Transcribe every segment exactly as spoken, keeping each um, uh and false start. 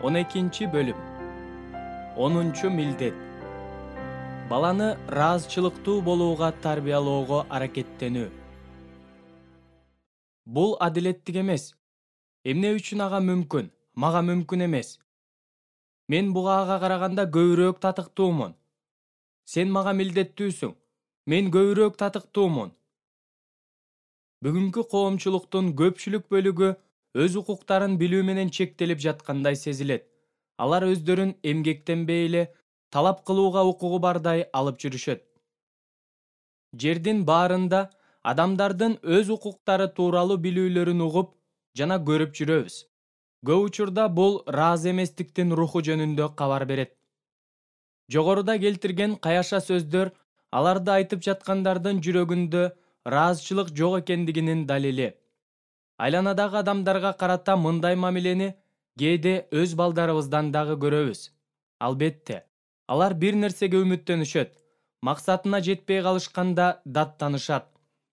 он экинчи бөлүм. онунчу милдет. Баланы ыраазычылыктуу болууга тарбиялоого аракеттенүү. Бул адилеттик эмес. Эмне үчүн ага мүмкүн, мага мүмкүн эмес? Мен буга ага караганда көбүрөөк татыктуумун. Сен мага милдеттүүсүң. Мен көбүрөөк татыктуумун. Бүгүнкү коомчулуктун көпчүлүк бөлүгү өз укуктарын билүү менен чектелип жаткандай сезилет. Алар өздөрүн эмгектенбей эле талап кылууга укугу бардай алып жүрүшөт. Жердин баарында адамдардын өз укуктары тууралуу билүүлөрүн угуп жана көрүп жүрөбүз. Көп учурда бул ыраазы эместиктин руху жөнүндө кабар берет. Жогоруда келтирген каяша сөздөр аларды айтып жаткандардын жүрөгүндө ыраазычылык жок экендигинин далили. Айланадагы адамдарга карата мындай мамилени кээде өз балдарыбыздан дагы көрөбүз. Албетте, алар бир нерсеге үмүттөнүшөт. Максатына жетпей калышканда даттанышат.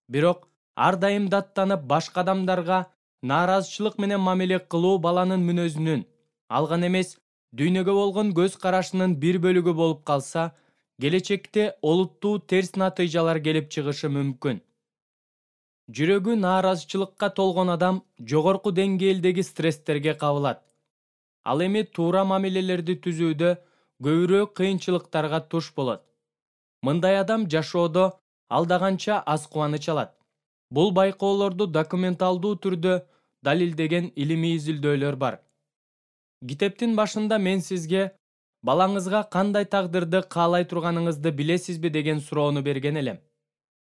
Бирок ар дайым даттанып башка адамдарга нааразычылык менен мамиле кылуу баланын мүнөзүнүн, ал гана эмес, дүйнөгө болгон көз карашынын бир бөлүгү болуп калса, келечекте олуттуу терс натыйжалар келип чыгышы мүмкүн. Жүрөгү нааразычылыкка толгон адам жогорку деңгээлдеги стресстерге кабылат. Ал эми туура мамилелерди түзүүдө көбүрөөк кыйынчылыктарга туш болот. Мындай адам жашоодо алда канча аз кубаныч алат. Бул байкоолорду документалдуу түрдө далилдеген илимий изилдөөлөр бар. Китептин башында мен сизге балаңызга кандай тагдырды каалай турганыңызды билесизби деген суроону берген элем.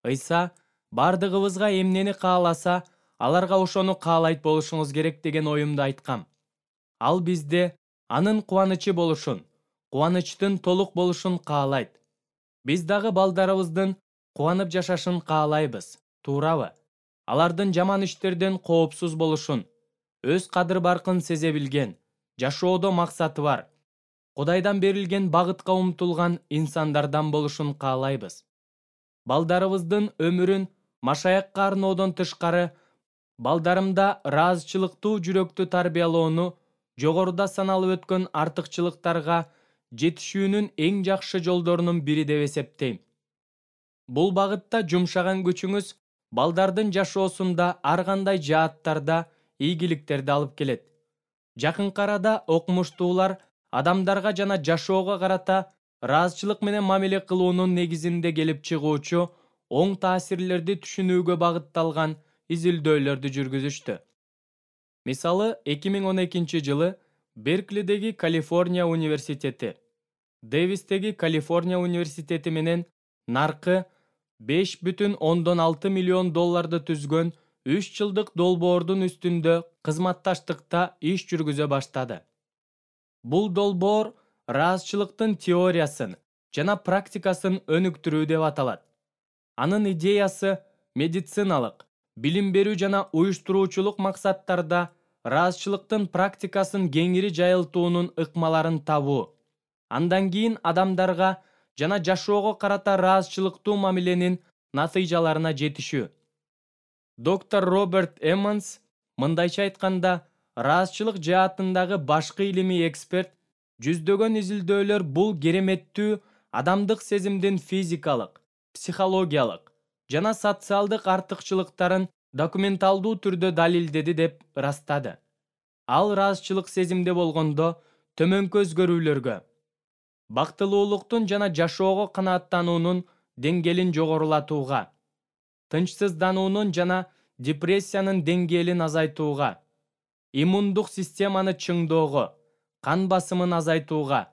Ыйса бардыгыбызга эмнени кааласа, аларга ошону каалайт болушуңуз керек деген оюмду айткам. Ал бизде анын кубанычы болушун, кубанычтын толук болушун каалайт. Биз дагы балдарыбыздын кубанып жашашын каалайбыз, туурабы? Алардын жаман иштерден коопсуз болушун, өз кадыр-баркын сезе билген, жашоодо максаты бар, Кудайдан берилген багытка умтулган инсандардан болушун каалайбыз. Балдарыбыздын өмүрүн машаякка арноодон тышкары, балдарымда ыраазычылыктуу жүрөктү тарбиялоону жогоруда саналып өткөн артыкчылыктарга жетишүүнүн эң жакшы жолдорунун бири деп эсептейм. Бул багытта жумшаган күчүңүз балдардын жашоосунда ар кандай жааттарда ийгиликтерди алып келет. Жакынкы арада окумуштуулар адамдарга жана жашоого карата ыраазычылык менен мамиле кылуунун негизинде келип чыгуучу оң таасирлерди түшүнүүгө багытталган изилдөөлөрдү жүргүзүштү. Мисалы, эки миң он экинчи жылы Берклидеги Калифорния университети, Дэвистеги Калифорния университети менен наркы беш бүтүн ондон алты миллион долларды түзгөн үч жылдык долбоордун үстүндө кызматташтыкта иш жүргүзө баштады. Бул долбоор ыраазычылыктын теориясын жана практикасын өнүктүрүү деп аталат. Анын идеясы медициналык, билим берүү жана уюштуруучулук максаттарда ыраазычылыктын практикасын кеңири жайылтуунун ыкмаларын табуу. Андан кийин адамдарга жана жашоого карата ыраазычылыктуу мамиленин натыйжаларына жетишүү. Доктор Роберт Эммонс мындайча айтканда, ыраазычылык жаатындагы башкы илимий эксперт, жүздөгөн изилдөөлөр бул кереметтүү адамдык сезимдин физикалык, психологиялык жана социалдык артыкчылыктарын документалдуу түрдө далилдеди деп ырастады. Ал ыраазычылык сезимде болгондо төмөнкү өзгөрүүлөргө, бактылуулуктун жана жашоого канааттануунун деңгээлин жогорулатууга, тынчсыздануунун жана депрессиянын деңгээлин азайтууга, иммундук системаны чыңоого, кан басымын азайтууга,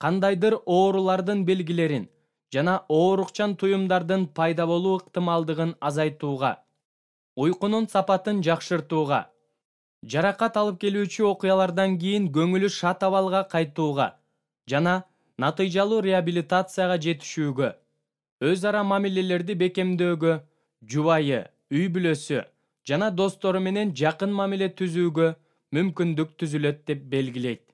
кандайдыр оорулардын белгилерин жана оорукчан туюмдардын пайда болуу ыктымалдыгын азайтууга, уйкунун сапатын жакшыртууга, жаракат алып келүүчү окуялардан кийин көңүлү шат абалга кайтууга жана натыйжалуу реабилитацияга жетишүүгө, өз ара мамилелерди бекемдөөгө, жубайы, үй бүлөсү жана достору менен жакын мамиле түзүүгө мүмкүндүк түзүлөт деп белгилейт.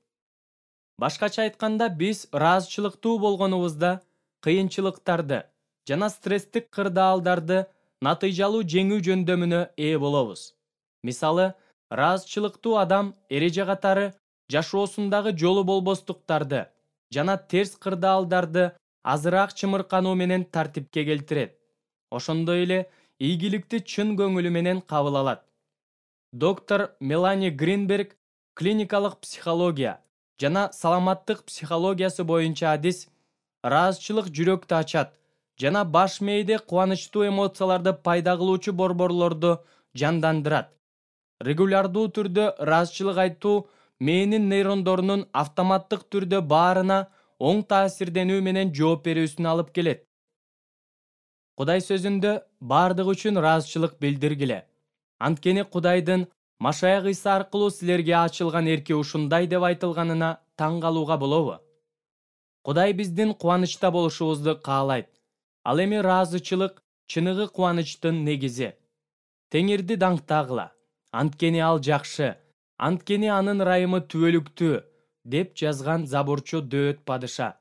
Башкача айтканда, биз ыраазычылыктуу болгонубузда кыйынчылыктарды жана стресстик кырдаалдарды натыйжалуу жеңүү жөндөмүнө ээ болобуз. Мисалы, ыраазычылыктуу адам эреже катары жашоосундагы жолу болбостуктарды жана терс кырдаалдарды азыраак чымыркануу менен тартипке келтирет. Ошондой эле ийгиликти чын көңүлү менен кабыл алат. Доктор Мелани Гринберг клиникалык психология жана саламаттык психологиясы боюнча адис ыраазычылык жүрөктү ачат жана баш мээде кубанычтуу эмоцияларды пайда кылуучу борборлорду жандандырат. Регулярдуу түрдө ыраазычылык айтуу мээнин нейрондорунун автоматтык түрдө баарына оң таасирденүү менен жооп берүүсүнө алып келет. Кудай сөзүндө бардык үчүн ыраазычылык билдиргиле. Анткени Кудайдын Машаяк Ыйса аркылуу силерге ачылган эрки ушундай деп айтылганына таң калууга болобу? Кудай биздин кубанычта болушубузду каалайт. Ал эми ыраазычылык чыныгы кубанычтын негизи. Теңирди даңктагыла, анткени ал жакшы, анткени анын ырайымы түбөлүктүү, деп жазган забурчу Дөөт падыша.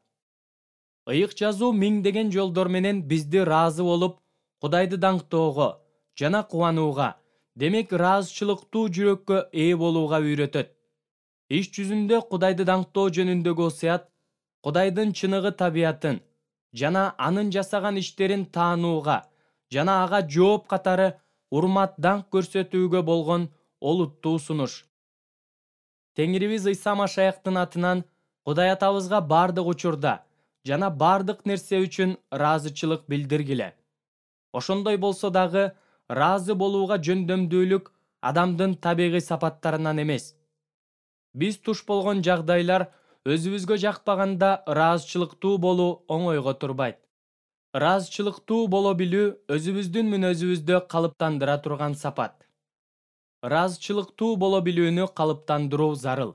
Ыйык жазуу миңдеген жолдор менен бизди ыраазы болуп, Кудайды даңктоого жана кубанууга, демек ыраазычылыктуу жүрөккө ээ болууга үйрөтөт. Иш жүзүндө Кудайды даңктоо жөнүндөгү осуят Кудайдын чыныгы табиятын жана анын жасаган иштерин таанууга жана ага жооп катары урмат даңк көрсөтүүгө болгон олуттуу сунуш. Теңирибиз Ыйса Машаяктын атынан Кудай атабызга бардык учурда жана бардык нерсе үчүн ыраазычылык билдиргиле. Ошондой болсо дагы ыраазы болууга жөндөмдүүлүк адамдын табигый сапаттарынан эмес. Биз туш болгон жагдайлар өзүбүзгө жакпаганда ыраазычылыктуу болуу оңойго турбайт. Ыраазычылыктуу боло билүү өзүбүздүн мүнөзүбүздө калыптандыра турган сапат. Ыраазычылыктуу боло билүүнү калыптандыруу зарыл.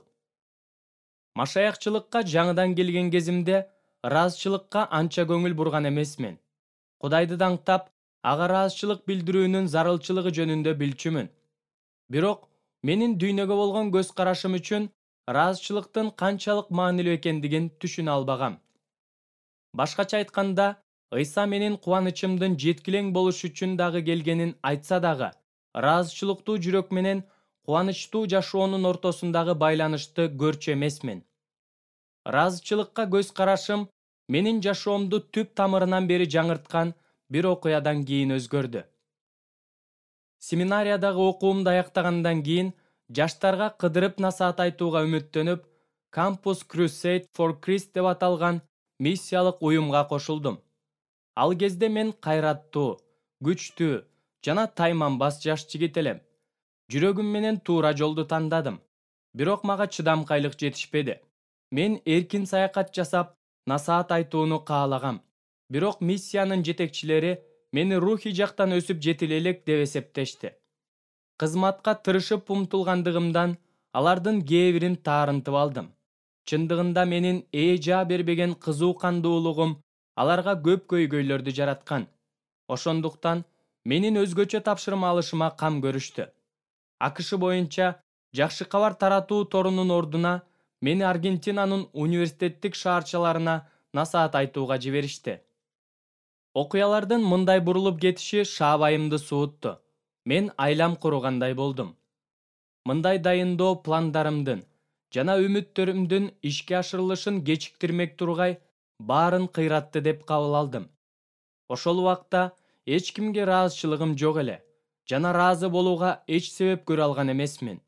Машаякчылыкка жаңыдан келген кезимде ыраазычылыкка анча көңүл бурган эмесмин. Кудайды даңктап, ага ыраазычылык билдирүүнүн зарылчылыгы жөнүндө билчүмүн. Бирок менин дүйнөгө болгон көз карашым үчүн ыраазычылыктын канчалык маанилүү экендигин түшүнө албагам. Башкача айтканда, Ыйса менин кубанычымдын жеткилең болуш үчүн дагы келгенин айтса дагы, ыраазычылыктуу жүрөк менен кубанычтуу жашоонун ортосундагы байланышты көрчү эмесмин. Ыраазычылыкка көз карашым менин жашоомду түп тамырынан бери жаңырткан бир окуядан кийин өзгөрдү. Семинариядагы окуумду аяктагандан кийин жаштарга кыдырып насаат айтууга үмүттөнүп, Campus Crusade for Christ деп аталган миссиялык уюмга кошулдум. Ал кезде мен кайраттуу, күчтүү жана тайманбас жаш жигит элем. Жүрөгүм менен туура жолду тандадым. Бирок мага чыдамкайлык жетишпеди. Мен эркин саякат жасап, насаат айтууну каалагам. Бирок миссиянын жетекчилери мени рухий жактан өсүп жетиле элек деп эсептешти. Кызматка тырышып умтулгандыгымдан алардын кээ бирин таарынтып алдым. Чындыгында менин ээ жаа бербеген кызуу кандуулугум аларга көп көйгөйлөрдү жараткан. Ошондуктан менин өзгөчө тапшырма алышыма кам көрүштү. АКШ боюнча жакшы кабар таратуу торунун ордуна мени Аргентинанын университеттик шаарчаларына насаат айтууга жиберишти. Окуялардын мындай бурулуп кетиши шаабайымды суутту. Мен айлам кургандай болдум. Мындай дайындоо пландарымдын жана үмүттөрүмдүн ишке ашырылышын кечиктирмек тургай баарын кыйратты деп кабыл алдым. Ошол убакта эч кимге ыраазычылыгым жок эле жана ыраазы болууга эч себеп көрө алган эмесмин.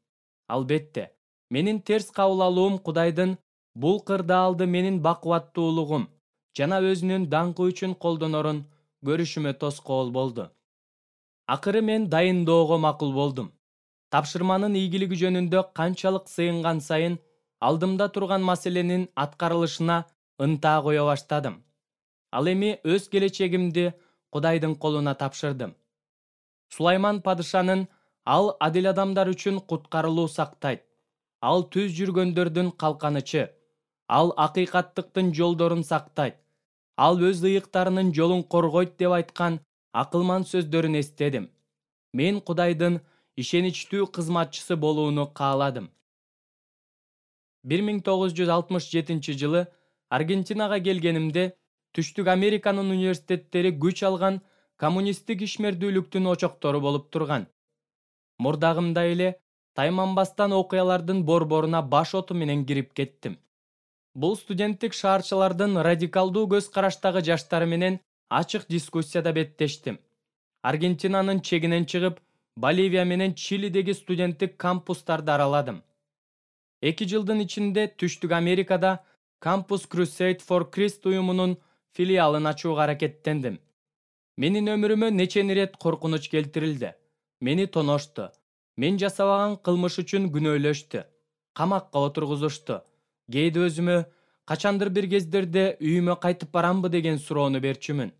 Албетте, менин терс кабыл алуум Кудайдын бул кырдаалды менин бакубаттуулугум жана өзүнүн даңкы үчүн колдонорун көрүшүмө тоскоол болду. Акыры мен дайындоого макул болдум. Тапшырманын ийгилиги жөнүндө канчалык сыйынган сайын алдымда турган маселенин аткарылышына ынта кое баштадым. Ал эми өз келечегимди Кудайдын колуна тапшырдым. Сулайман падышанын ал адил адамдар үчүн куткарылуу сактайт. Ал түз жүргөндөрдүн калканычы. Ал акыйкаттыктын жолдорун сактайт. Ал өз ыйыктарынын жолун коргойт деп айткан акылман сөздөрүн эстедим. Мен Кудайдын ишеничтүү кызматчысы болууну кааладым. бир миң тогуз жүз алтымыш жетинчи жылы Аргентинага келгенимде Түштүк Американын университеттери күч алган коммунисттик ишмердүүлүктүн очоктору болуп турган. Мурдагымдай эле тайманбастан окуялардын борборуна баш оту менен кирип кеттим. Бул студенттик шаарчылардын радикалдуу көз караштагы жаштары менен ачык дискуссияда беттештим. Аргентинанын чегинен чыгып, Боливия менен Чилидеги студенттик кампустарды араладым. Эки жылдын ичинде Түштүк Америкада Campus Crusade for Christ уюмунун филиалын ачууга аракеттендим. Менин өмүрүмө нечен ирет коркунуч келтирилди. Мени тоношту. Мен жасабаган кылмыш үчүн күнөөлөштү. Камакка отургузушту. Кээде өзүмө качандыр бир кездерде үйүмө кайтып барамбы деген суроону берчүмүн.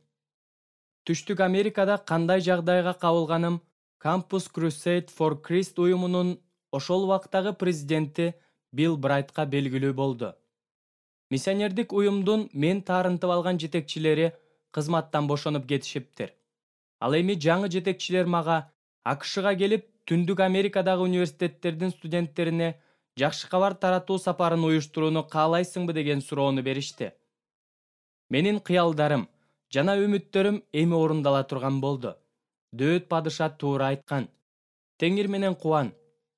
Түштүк Америкада кандай жагдайга кабылганым Campus Crusade for Christ уюмунун ошол убактагы президенти Билл Брайтка белгилүү болду. Миссионердик уюмдун мен таарынтып алган жетекчилери кызматтан бошонуп кетишиптир. Ал эми жаңы жетекчилер мага АКШга келип, Түндүк Америкадагы университеттердин студенттерине жакшы кабар таратуу сапарын уюштурууну каалайсыңбы деген суроону беришти. Менин кыялдарым жана үмүттөрүм эми орундала турган болду. Дөөт падыша туура айткан. Теңир менен кубан.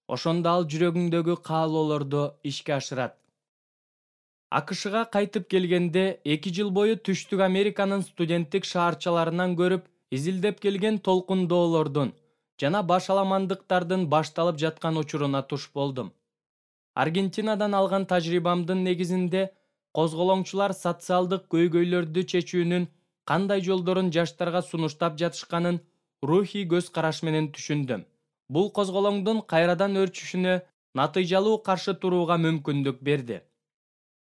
Ошондо ал жүрөгүңдөгү каалоолорду ишке ашырат. АКШга кайтып келгенде эки жыл бою Түштүк Американын студенттик шаарчаларынан көрүп, изилдеп келген толкундоолордун жана башаламандыктардын башталып жаткан учуруна туш болдум. Аргентинадан алган тажрыйбамдын негизинде козголоңчулар социалдык көйгөйлөрдү чечүүнүн кандай жолдорун жаштарга сунуштап жатышканын рухий көз караш менен түшүндүм. Бул козголоңдун кайрадан өрчүшүнө натыйжалуу каршы турууга мүмкүндүк берди.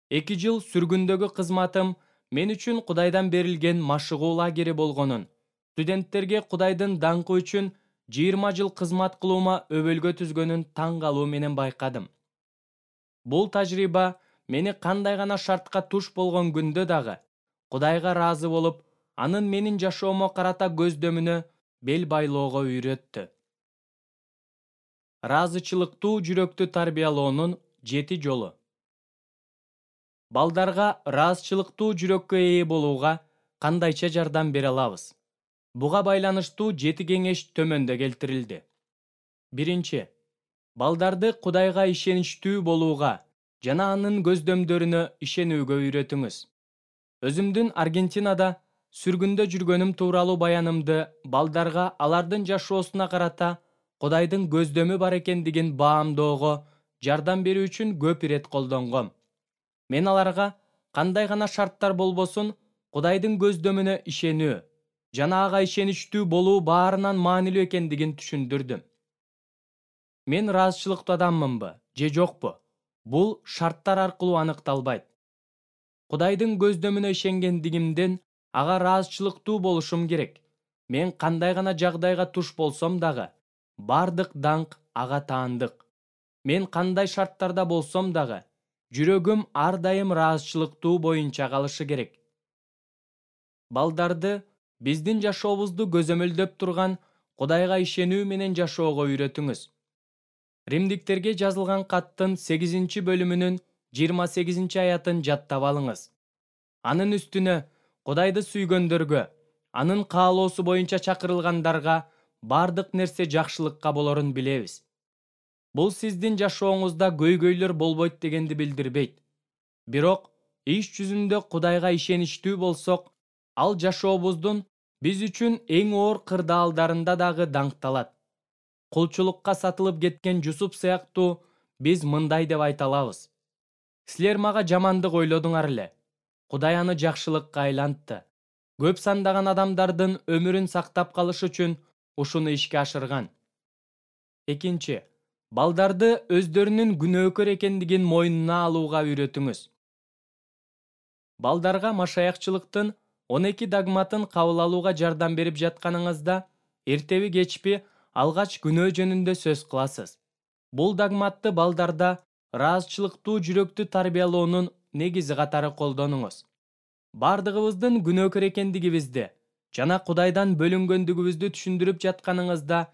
Эки жыл сүргүндөгү кызматым мен үчүн Кудайдан берилген машыгуу лагери болгонун, студенттерге Кудайдын даңкы үчүн жыйырма жыл кызмат кылуума өбөлгө түзгөнүн таң калуу менен байкадым. Бул тажрыйба мени кандай гана шартка туш болгон күндө дагы Кудайга ыраазы болуп, анын менин жашоомо карата көздөмүнө бел байлоого үйрөттү. Ыраазычылыктуу жүрөктү тарбиялоонун жети жолу. Балдарга ыраазычылыктуу жүрөккө ээ болууга кандайча жардам бере алабыз? Буга байланыштуу жети кеңеш төмөндө келтирилди. Биринчи. Балдарды Кудайга ишеничтүү болууга жана анын көздөмдөрүнө ишенүүгө үйрөтүңүз. Өзүмдүн Аргентинада сүргүндө жүргөнүм тууралуу баянымды балдарга алардын жашоосуна карата Кудайдын көздөмү бар экендигин баамдоого жардам берүү үчүн көп ирет колдонгом. Мен аларга кандай гана шарттар болбосун Кудайдын көздөмүнө ишенүү жана ага ишеничтүү болуу баарынан маанилүү экендигин түшүндүрдүм. Мен ыраазычылыктуу адаммынбы же жокпу? Бул шарттар аркылуу аныкталбайт. Кудайдын көздөмүнө ишенгендигимден ага ыраазычылыктуу болушум керек. Мен кандай гана жагдайга туш болсом дагы, бардык даңк ага таандык. Мен кандай шарттарда болсом дагы, жүрөгүм ар дайым ыраазычылыктуу боюнча калышы керек. Балдарды биздин жашообузду көзөмөлдөп турган Кудайга ишенүү менен жашоого үйрөтүңүз. Римдиктерге жазылган каттын сегизинчи бөлүмүнүн жыйырма сегизинчи аятын жаттап алыңыз. Анын үстүнө Кудайды сүйгөндөргө, анын каалоосу боюнча чакырылгандарга бардык нерсе жакшылыкка болорун билебиз. Бул сиздин жашооңузда көйгөйлөр болбойт дегенди билдирбейт. Бирок иш жүзүндө Кудайга ишеничтүү болсок, ал жашообуздун биз үчүн эң оор кырдаалдарында дагы даңкталат. Кулчулукка сатылып кеткен Жусуп сыяктуу биз мындай деп айта алабыз. Силер мага жамандык ойлодуңар эле. Кудай аны жакшылыкка айлантты. Көп сандаган адамдардын өмүрүн сактап калыш үчүн ушуну ишке ашырган. Экинчи. Балдарды өздөрүнүн күнөөкөр экендигин мойнуна алууга үйрөтүңүз. Балдарга машаякчылыктын он эки догматын кабыл алууга жардам берип жатканыңызда, эртеби кечпи алгач күнөө жөнүндө сөз кыласыз. Бул догматты балдарда ыраазычылыктуу жүрөктү тарбиялоонун негизи катары колдонуңуз. Бардыгыбыздын күнөөкөр экендигибизди жана Кудайдан бөлүнгөндүгүбүздү түшүндүрүп жатканыңызда,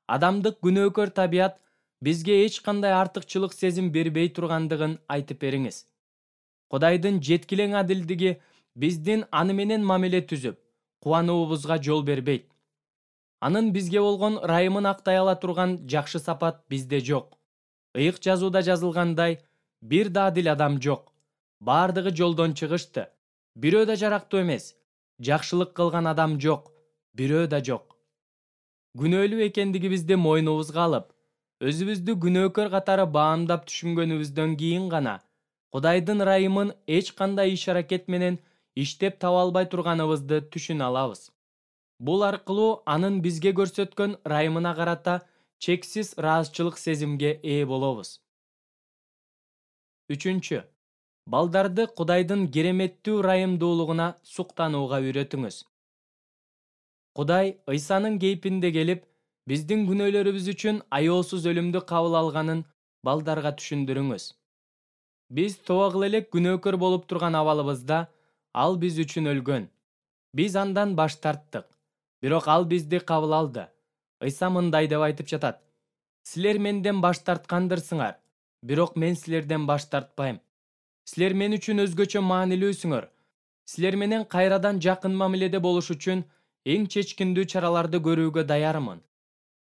адамдык күнөөкөр табият бизге эч кандай артыкчылык сезим бербей тургандыгын айтып бериңиз. Кудайдын жеткилең адилдиги биздин аны менен мамиле түзүп, кубануубузга жол бербейт. Анын бизге болгон ырайымын актай ала турган жакшы сапат бизде жок. Ыйык жазууда жазылгандай, бир да адил адам жок. Бардыгы жолдон чыгышты. Бирөө да жарактуу эмес. Жакшылык кылган адам жок. Бирөө да жок. Күнөөлүү экендигибизди мойнубузга алып, өзүбүздү күнөөкөр катары баамдап түшүнгөнүбүздөн кийин гана Кудайдын ырайымын эч кандай иш-аракет менен иштеп таба албай турганыбызды түшүнө алабыз. Бул аркылуу анын бизге көрсөткөн ырайымына карата чексиз ыраазычылык сезимге ээ болобуз. Үчүнчү. Балдарды Кудайдын кереметтүү ырайымдуулугуна суктанууга үйрөтүңүз. Кудай Ыйсанын кейпинде келип, биздин күнөөлөрүбүз үчүн аяосуз өлүмдү кабыл алганын балдарга түшүндүрүңүз. Биз тоба кыла элек күнөөкөр болуп турган абалыбызда ал биз үчүн өлгөн. Биз андан баш тарттык. Бирок ал бизди кабыл алды. Ыйса мындай деп айтып жатат: "Силер менден баш тарткандырсыңар, бирок мен силерден баш тартпайм. Силер мен үчүн өзгөчө маанилүүсүңөр. Силер менен кайрадан жакын мамиледе болуш үчүн эң чечкиндүү чараларды көрүүгө даярмын.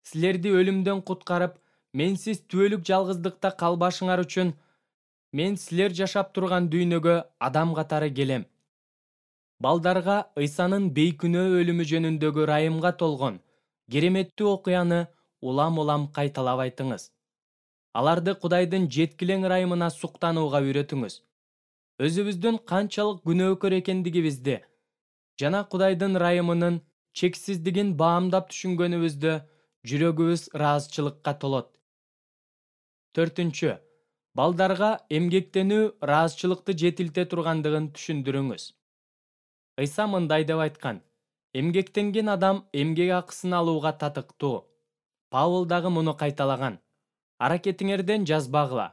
Силерди өлүмдөн куткарып, менсиз түбөлүк жалгыздыкта калбашыңар үчүн мен силер жашап турган дүйнөгө адам катары келем." Балдарга Ыйсанын бейкүнөө өлүмү жөнүндөгү ырайымга толгон кереметтүү окуяны улам-улам кайталап айтыңыз. Аларды Кудайдын жеткилең ырайымына суктанууга үйрөтүңүз. Өзүбүздүн канчалык күнөөкөр экендигибизди жана Кудайдын ырайымынын чексиздигин баамдап түшүнгөнүбүздө жүрөгүбүз ыраазычылыкка толот. Төртүнчү. Балдарга эмгектенүү ыраазычылыкты жетилте тургандыгын түшүндүрүңүз. Ыйса мындай деп айткан: "Эмгектенген адам эмгек акысын алууга татыктуу." Павыл дагы муну кайталаган: "Аракетиңерден жазбагыла,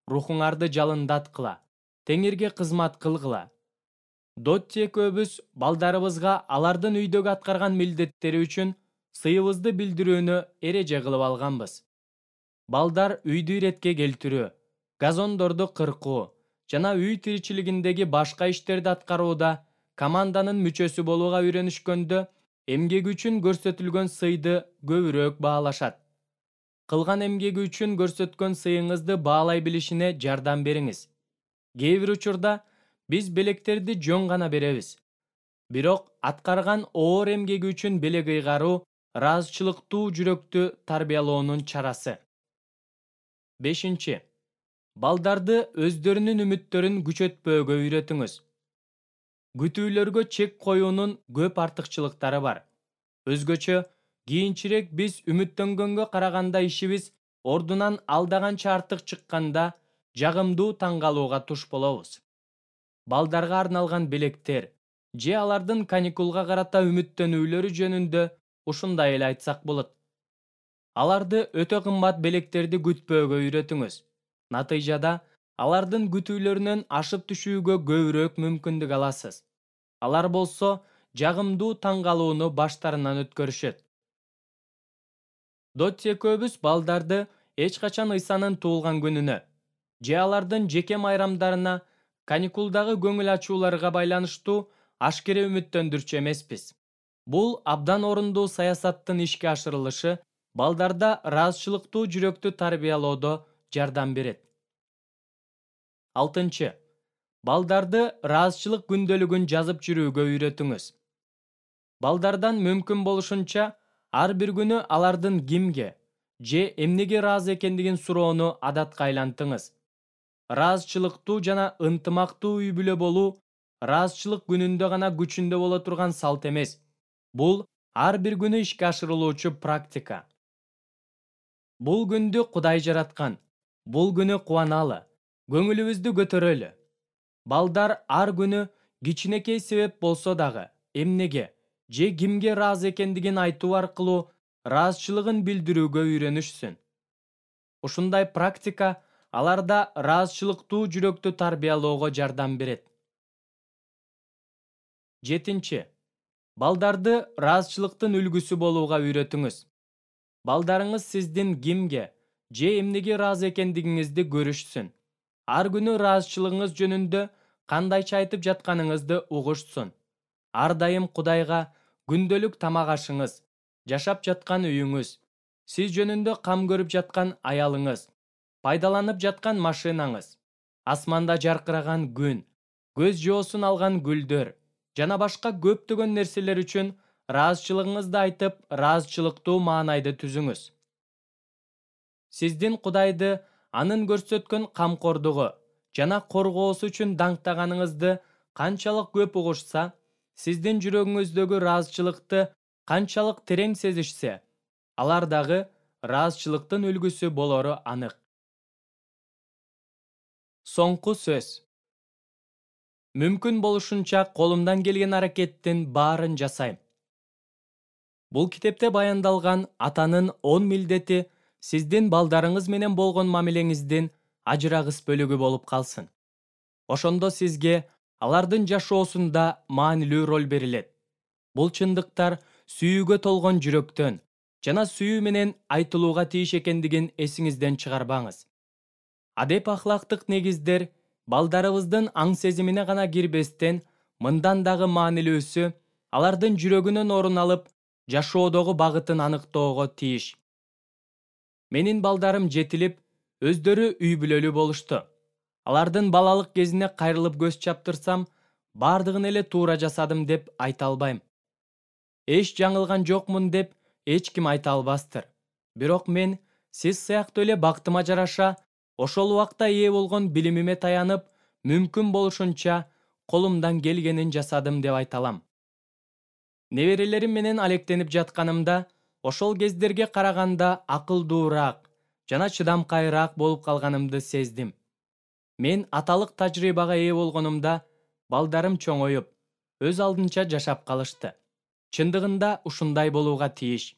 рухуңарды жалындаткыла, Теңирге кызмат кылгыла." Дотти экөөбүз балдарыбызга алардын үйдөгү аткарган милдеттери үчүн сыйыбызды билдирүүнү эреже кылып алганбыз. Балдар үйдү иретке келтирүү, газондорду кыркуу жана үй тиричилигиндеги башка иштерди аткарууда команданын мүчөсү болууга үйрөнүшкөндө эмгеги үчүн көрсөтүлгөн сыйды көбүрөөк баалашат. Кылган эмгеги үчүн көрсөткөн сыйыңызды баалай билишине жардам бериңиз. Кээ бир учурда биз белектерди жөн гана беребиз. Бирок аткарган оор эмгеги үчүн белек ыйгаруу ыраазычылыктуу жүрөктү тарбиялоонун чарасы. Бешинчи. Балдарды өздөрүнүн үмүттөрүн күчөтпөөгө үйрөтүңүз. Күтүүлөргө чек коюунун көп артыкчылыктары бар. Өзгөчө кийинчерээк биз үмүттөнгөнгө караганда ишибиз ордунан алдаганча артык чыкканда жагымдуу таң калууга туш болобуз. Балдарга арналган белектер же алардын каникулга карата үмүттөнүүлөрү жөнүндө ушундай эле айтсак болот. Аларды өтө кымбат белектерди күтпөөгө үйрөтүңүз. Натыйжада алардын күтүүлөрүнөн ашып түшүүгө көбүрөөк мүмкүндүк аласыз. Алар болсо жагымдуу таң калууну баштарынан өткөрүшөт. Дотти экөөбүз балдарды эч качан Ыйсанын туулган күнүнө же алардын жеке майрамдарына, каникулдагы көңүл ачууларга байланыштуу ашкере үмүттөндүрчү эмеспиз. Бул абдан орундуу саясаттын ишке ашырылышы балдарда ыраазычылыктуу жүрөктү тарбиялоодо жардам берет. Алтынчы. Балдарды ыраазычылык күндөлүгүн жазып жүрүүгө үйрөтүңүз. Балдардан мүмкүн болушунча ар бир күнү алардын кимге же эмнеге ыраазы экендигин суроону адатка айлантыңыз. Ыраазычылыктуу жана ынтымактуу үй бүлө болуу ыраазычылык күнүндө гана күчүндө боло турган салт эмес. Бул ар бир күнү ишке ашырылуучу практика. Бул күндү Кудай жараткан. Бул күнү кубаналы, көңүлүбүздү көтөрөлү. Балдар ар күнү кичинекей себеп болсо дагы эмнеге же кимге ыраазы экендигин айтуу аркылуу ыраазычылыгын билдирүүгө үйрөнүшсүн. Ушундай практика аларда ыраазычылыктуу жүрөктү тарбиялоого жардам берет. Жетинчи. Балдарды ыраазычылыктын үлгүсү болууга үйрөтүңүз. Балдарыңыз сиздин кимге же эмнеге ыраазы экендигиңизди көрүшсүн. Ар күнү ыраазычылыгыңыз жөнүндө кандайча айтып жатканыңызды угушсун. Ар дайым Кудайга күндөлүк тамак ашыңыз, жашап жаткан үйүңүз, сиз жөнүндө кам көрүп жаткан аялыңыз, пайдаланып жаткан машинаңыз, асманда жаркыраган күн, көз жоосун алган гүлдөр жана башка көптөгөн нерселер үчүн ыраазычылыгыңызды айтып, ыраазычылыктуу маанайды түзүңүз. Сиздин Кудайды анын көрсөткөн камкордугу жана коргоосу үчүн даңктаганыңызды канчалык көп угушса, сиздин жүрөгүңүздөгү ыраазычылыкты канчалык терең сезишсе, алар дагы ыраазычылыктын үлгүсү болору анык. Соңку сөз. Мүмкүн болушунча колумдан келген аракеттин баарын жасайм. Бул китепте баяндалган атанын он милдети сиздин балдарыңыз менен болгон мамилеңиздин ажырагыс бөлүгү болуп калсын. Ошондо сизге алардын жашоосунда маанилүү роль берилет. Бул чындыктар сүйүүгө толгон жүрөктөн жана сүйүү менен айтылууга тийиш экендигин эсиңизден чыгарбаңыз. Адеп ахлактык негиздер балдарыбыздын аң сезимине гана кирбестен, мындан дагы маанилүүсү, алардын жүрөгүнөн орун алып, жашоодогу багытын аныктоого тийиш. Менин балдарым жетилип, өздөрү үй бүлөлүү болушту. Алардын балалык кезине кайрылып көз чаптырсам, бардыгын эле туура жасадым деп айта албайм. Эч жаңылган жокмун деп эч ким айта албастыр. Бирок мен сиз сыяктуу эле бактыма жараша, ошол убакта ээ болгон билимиме таянып, мүмкүн болушунча колумдан келгенин жасадым деп айта алам. Неберелерим менен алектенип жатканымда, ошол кездерге караганда акылдуураак жана чыдамкайыраак болуп калганымды сездим. Мен аталык тажрыйбага ээ болгонумда, балдарым чоңоюп, өз алдынча жашап калышты. Чындыгында ушундай болууга тийиш.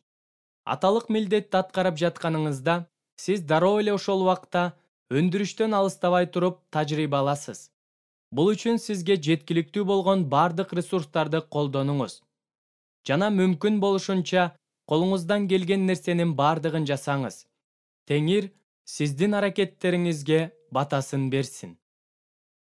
Аталык милдетти аткарып жатканыңызда, сиз дароо эле ошол убакта өндүрүштөн алыстабай туруп тажрыйба аласыз. Бул үчүн сизге жеткиликтүү болгон бардык ресурстарды колдонуңуз. Жана мүмкүн болушунча колуңуздан келген нерсенин бардыгын жасаңыз. Теңир сиздин аракеттериңизге батасын берсин.